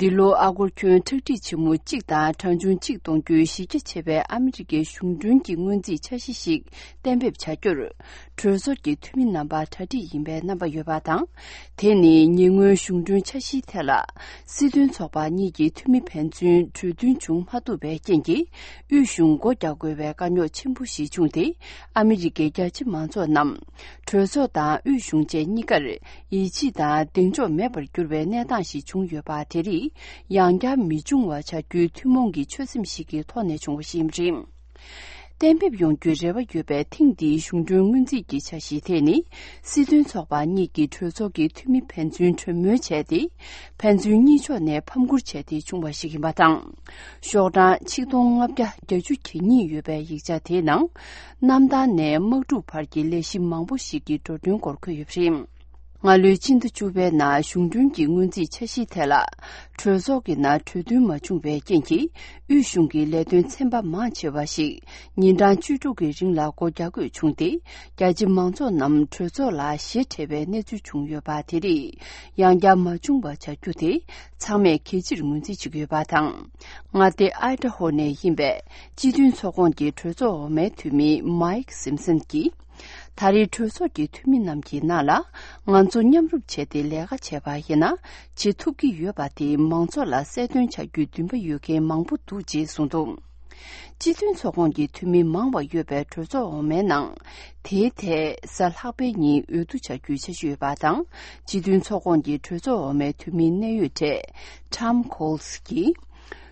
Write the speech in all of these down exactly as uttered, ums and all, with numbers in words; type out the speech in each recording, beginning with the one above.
འདི་ལོ་ཨ་སྒོར་ཁྱོན་ཁྲག་ཁྲིག་ཆེན་མོ་གཅིག་དང་གྲངས་ཆུང་གཅིག་གཏོང་རྒྱུའི་གཞི་རྒྱ་ཆེ་བའི་ཨ་མི་རི་ཀའི་གཞུང་གྲོན་གྱི་སྔོན་རྩིས་འཆར་གཞི་ཞིག་གཏན་འབེབས་བྱ་རྒྱུར། གྲོས་ཚོགས་ཀྱི་འཐུས་མི་རྣམ་པ་གྲ་སྒྲིག་ཡིན་པའི་རྣམ་པ་ཡོད་པ་དང་། དེ་ནི་ཉེ་སྔོན་གཞུང་གྲོན་འཆར་གཞིའི་ཐད་ལ། སྲིད་དོན་ཚོགས་པ་གཉིས་ཀྱི་འཐུས་མི་ཕན་ཚུན་གྲོས་མཐུན་བྱུང་མ་ཐུབ་པའི་རྐྱེན་གྱིས། དབུས་གཞུང་སྒོ་རྒྱག་དགོས་པའི་དཀའ་རྙོག་ཆེན་པོ་ཞིག་བྱུང་སྟེ། ཨ་མི་རི་ཀའི་རྒྱ་ཆེ་མང་ཚོགས་རྣམས། གྲོས་ཚོགས་དང་དབུས་གཞུང་བཅས་གཉིས་ཀར་ཡིད་ཆེས་དང་གདེང་འཇོག་མེད་པར་གྱུར་བའི་གནས་སྟངས་ཤིག་བྱུང་ཡོད་པ། དེ་རིགས་ཡང་བསྐྱར་མི་འབྱུང་བ་བྱ་རྒྱུའི་ཐུན་མོང་གི་ཆོད་སེམས་ཤིག་གི་ཐོག་ནས་བྱུང་བ་ཞིག་ཡིན་པ་རེད། གཏན་འབེབས་ཡོང་རྒྱུའི་རེ་བ་ཡོད་པའི་ཐེངས་འདིའི་གཞུང་གྲོན་སྔོན་རྩིས་ཀྱི་འཆར་གཞི་དེ་ནི། སྲིད་དོན་ཚོགས་པ་གཉིས་ཀྱི་གྲོས་ཚོགས་ཀྱི་འཐུས་མི་ཕན་ཚུན་གྲོས་མོལ་བྱས་ཏེ། ཕན་ཚུན་གཉིས་ཕྱོགས་ནས་ཕམ་བསྐུར་བྱས་ཏེ་བྱུང་བ་ཞིག་ཡིན་པ་དང་། ཤོག་གྲངས་ཆིག་སྟོང་ལྔ་བརྒྱ་བརྒྱད་ཅུ་གྱ་གཉིས་ཡོད་པའི་ཡིག་ཆ་དེའི་ནང་། གནམ་ཐང་ནས་དམག་འཁྲུག་བར་གྱི་ལས་གཞི་མང་པོ་ཞིག་གི་འགྲོ་གྲོན་སྐོར་འཁོད་ཡོད་པ་རེད། སྔ་ལོའི་ཕྱི་ཟླ་བཅུ་པའི་ནང་གཞུང་གྲོན་གྱི་སྔོན་རྩིས་འཆར་གཞིའི་ཐད་ལ། གྲོས་ཚོགས་ཀྱི་ནང་གྲོས་མཐུན་མ་བྱུང་བའི་རྐྱེན་གྱིས། དབུས་གཞུང་གི་ལས་དོན་ཚན་པ་མང་ཆེ་བ་ཞིག་ཉིན་གྲངས་བཅུ་དྲུག་གི་རིང་ལ་སྒོ་རྒྱག་དགོས་བྱུང་སྟེ། རྒྱ་ཆེ་མང་ཚོགས་རྣམས་གྲོས་ཚོགས་ལ་ཞེ་ཁྲེལ་བའི་གནས་ཚུལ་བྱུང་ཡོད་པ། དེ་རིགས་ཡང་བསྐྱར་མ་བྱུང་བ་བྱ་རྒྱུ་དེ་ཚང་མས་གལ་ཆེར་ངོས་འཛིན་བྱེད་ཀྱི་ཡོད་པ་དང་། མངའ་སྡེ་ཨའི་ཏྲ་ཧོ་ནས་ཡིན་པའི་སྤྱི་མཐུན་ཚོགས་ཁོངས་ཀྱི་གྲོས་ཚོགས་འོག་མའི་འཐུས་མི་མཱིག་སིམ་སན་གྱིས། ད་རེས་གྲོས་ཚོགས་ཀྱི་འཐུས་མི་རྣམས་ཀྱི་ནང་ལ། ང་ཚོ་མཉམ་རུབ་བྱས་ཏེ་ལས་ཀ་བྱས་པ་ཡིན་ན། བྱེད་ཐུབ་ཀྱི་ཡོད་པ་དེ་མང་ཚོགས་ལ་གསལ་སྟོན་བྱ་རྒྱུའི་འདུན་པ་ཡོད་མཁན་མང་པོ་འདུག་ཅེས་གསུངས་འདུག་སྤྱི་མཐུན་ཚོགས་ཁོངས་ཀྱི་འཐུས་མི་མང་བ་ཡོད་པའི་གྲོས་ཚོགས་འོག་མའི་ནང་། དེའི་ཐད་གཟའ་ལྷག་པའི་ཉིན་འོས་བསྡུ་བྱ་རྒྱུའི་འཆར་གཞི་ཡོད་པ་དང་། སྤྱི་མཐུན་ཚོགས་ཁོངས་ཀྱི་གྲོས་ཚོགས་འོག་མའི་འཐུས་མི་གནད་ཡོད་གྲས་Tom Coles་གྱིས།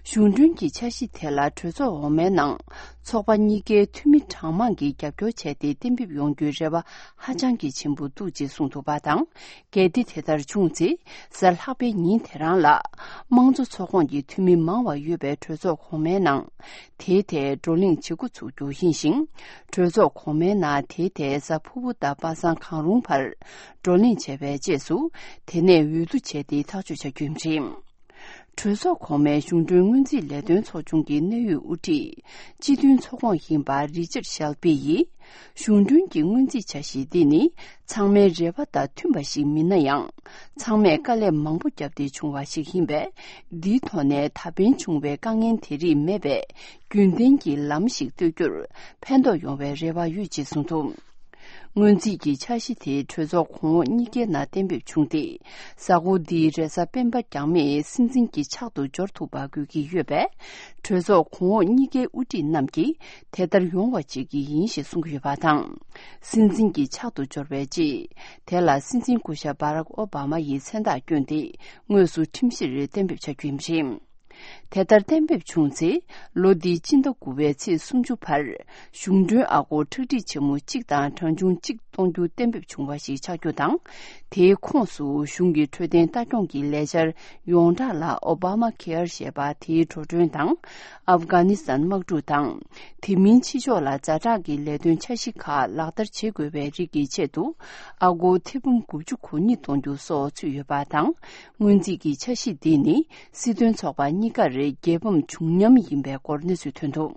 གཞུང་གྲོན་གྱི་འཆར་གཞི་དེ་ལ་གྲོས་ཚོགས་འོག་མའི་ནང་ཚོགས་པ་གཉིས་ཀའི་འཐུས་མི་གྲངས་མང་གིས་རྒྱབ་སྐྱོར་བྱས་ཏེ་གཏན་འབེབས་ཡོང་རྒྱུའི་རེ་བ་ཧ་ཅང་གི་ཆེན་པོ་འདུག་ཅེས་གསུངས་འདུག་པ་དང་། གལ་ཏེ་དེ་ལྟར་བྱུང་ཚེ། གཟའ་ལྷག་པའི་ཉིན་དེ་རང་ལ། དམངས་གཙོ་ཚོགས་ཁོངས་ཀྱི་འཐུས་མི་མང་བ་ཡོད་པའི་གྲོས་ཚོགས་གོང་མའི་ནང་། དེའི་ཐད་བགྲོ་གླེང་བྱེད་འགོ་ཚུགས་རྒྱུ་ཡིན་ཞིང་། གྲོས་ཚོགས་གོང་མའི་ནང་དེའི་ཐད་གཟའ་ཕུར་བུ་དང་པ་སངས་གང་རུང་བར་བགྲོ་གླེང་བྱས་པའི་རྗེས་སུ། དེ་ནས་འོས་བསྡུ་བྱས་ཏེ་ཐག་གཅོད་བྱ་རྒྱུ་ཡིན་པ་རེད། གྲོས་ཚོགས་གོང་མའི་གཞུང་གྲོན་སྔོན་རྩིས་ལས་དོན་ཚོགས་ཆུང་གི་གནད་ཡོད་དབུ་ཁྲིད། སྤྱི་མཐུན་ཚོགས་ཁོངས་ཡིན་པ་རི་ཅར་ཤལ་པི་ཡིས། གཞུང་གྲོན་གྱི་སྔོན་རྩིས་འཆར་གཞི་འདི་ནི་ཚང་མའི་རེ་བ་དང་མཐུན་པ་ཞིག་མིན་ན་ཡང་། ཚང་མས་དཀའ་ལས་མང་པོ་བརྒྱབ་སྟེ་བྱུང་བ་ཞིག་ཡིན་པས། འདིའི་ཐོག་ནས་ད་ཕན་བྱུང་བའི་དཀའ་ངལ་དེ་རིགས་མེད་པའི་རྒྱུན་ལྡན་གྱི་ལམ་ཞིག་གཏོད་རྒྱུར་ཕན་ཐོགས་ཡོང་བའི་རེ་བ་ཡོད་ཅེས་གསུངས་འདུག་སྔོན་རྩིས་ཀྱི་འཆར་གཞི་དེ་གྲོས་ཚོགས་གོང་འོག་གཉིས་ཀའི་ནང་གཏན་འབེབས་བྱུང་སྟེ། གཟའ་འཁོར་འདིའི་རེས་གཟའ་སྤེན་པ་རྒྱང་མིས་སྲིད་འཛིན་གྱི་ཕྱག་ཏུ་འབྱོར་ཐུབ་པ་དགོས་ཀྱི་ཡོད་པས། གྲོས་ཚོགས་གོང་འོག་གཉིས་ཀའི་དབུ་ཁྲིད་རྣམས་ཀྱིས་དེ་ལྟར་ཡོང་བ་བྱེད་ཀྱི་ཡིན་ཞེས་གསུང་གི་ཡོད་པ་དང་། སྲིད་འཛིན་གྱི་ཕྱག་ཏུ་འབྱོར་བའི་རྗེས། དེ་ལ་སྲིད་འཛིན་སྐུ་ཞབས་Barack Obama་ཡི་མཚན་རྟགས་བསྐྱོན་ཏེ། དངོས་སུ་ཁྲིམས་གཞིར་གཏན་འབེབས་བྱ་རྒྱུ་ཡིན་པ་རེད། དེ་ལྟར་གཏན་འབེབས་བྱུང་ཚེ། ལོ་འདིའི་སྤྱི་ཟླ་དགུ་པའི་ཚེས་སུམ་ཅུ་བར། གཞུང་གྲོན་ཨ་སྒོར་ཁྲག་ཁྲིག་ཆེན་མོ་གཅིག་དང་གྲངས་ཆུང་གཅིག་གཏོང་རྒྱུ་གཏན་འབེབས་བྱུང་བ་ཞིག་ཆགས་རྒྱུ་དང་། དེའི་ཁོངས་སུ་གཞུང་གི་འཕྲོད་བསྟེན་ལྟ་སྐྱོང་གི་ལས་འཆར་ཡོངས་གྲགས་ལ་Obamacare་ཞེས་པ་དེའི་འགྲོ་གྲོན་དང་། ཨབ་གྷ་ནི་སི་ཐན་དམག་འཁྲུག་དང་། དེ་མིན་ཕྱི་ཕྱོགས་ལ་ཛ་དྲག་གི་ལས་དོན་འཆར་གཞི་ཁག་ལག་བསྟར་བྱེད་དགོས་པའི་རིགས་ཀྱི་ཆེད་དུ། ཨ་སྒོར་ཐེར་འབུམ་དགུ་བཅུ་གོ་གཉིས་གཏོང་རྒྱུ་སོགས་ཚུད་ཡོད་པ་དང་། སྔོན་རྩིས་ཀྱི་འཆར་གཞི་འདི་ནི། སྲིད་དོན་ཚོགས་པ་གཉིས་ཀར་རྒྱལ་ཕམ་བྱུང་སྙམ་ཡིན་པའི་སྐོར་གནས་ཚུལ་ཐོན་འདུག